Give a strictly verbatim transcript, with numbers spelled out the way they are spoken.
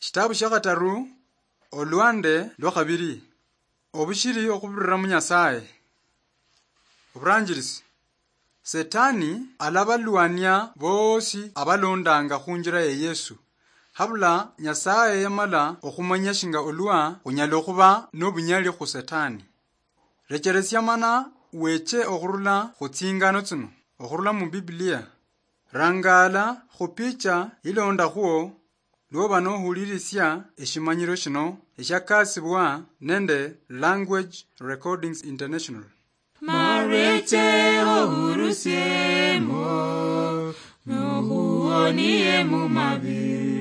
Shitabu shia khataru, olwande lwa khabiri. Obushiri okhubirira mu Nyasaye. Oburanjirisi. Setani alabalwania boosi abalondanga khunjira ya Yesu. Habula Nyasaye yamala okhumanya shinga olwa khunyala okhuba nobunyali khu Setani. Recheresia mana weche okhurula khu tsingano tsino, okhurula mu Biblia. Rangaala khu picha ilondakhwo lwoba nohulirisia eshimanyiro shino eshiakasibwa nende Language Recordings International. Mareche ohurusiemo, nohuonie mu mabi.